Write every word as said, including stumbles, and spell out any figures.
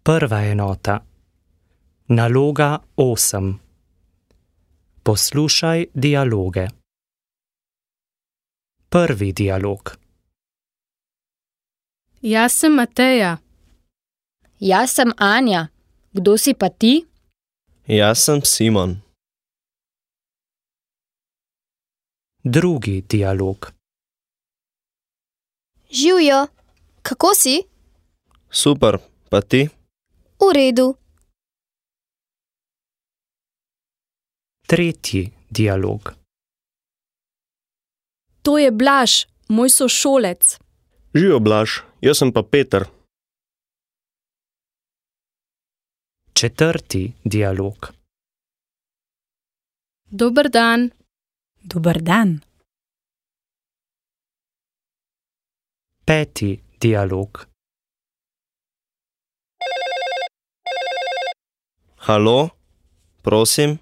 Prva enota. Naloga osem. Poslušaj dialoge. Prvi dialog. Jaz sem Mateja. Jaz sem Anja. Kdo si pa ti? Jaz sem Simon. Drugi dialog. Živjo, kako si? Super, pa ti? V redu. Tretji dialog. To je Blaž, moj sošolec. Živijo, Blaž, jaz sem pa Peter. Četrti dialog. Dober dan. Dober dan. Peti dialog. Halo? Prosim?